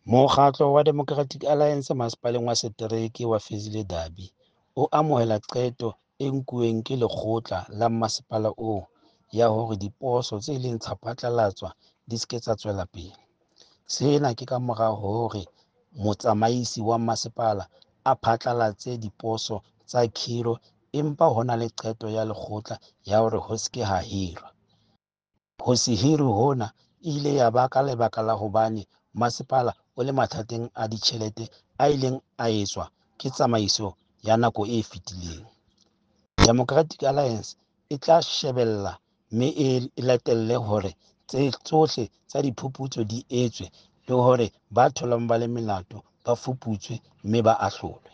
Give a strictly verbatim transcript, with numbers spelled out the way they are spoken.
Mokgatlo wa Democratic Alliance Masepaleng wa Setereke wa Fezile Dabi o amohela qeto e nkuweng ke lekgotla la masepala oo ya hore diposo tse ileng tsa phatlalatswa di se ke tsa tswela pele. Sena ke kamora hore motsamaisi wa masepala a phatlalatse diposo tsa khiro empa ho na le qeto ya lekgotla ya hore ho se ke ha hirwa. Ho se hirwe hona e ile ya ba ka lebaka la hobane masepala o le mathateng a ditjhelete a ileng a etswa ke tsamaiso ya nako e fetileng. Democratic Alliance e tla shebella mme e latelle hore tsohle tsa diphuputso di etswe le hore ba tholwang ba le molato ba fuputswe mme ba ahlolwe.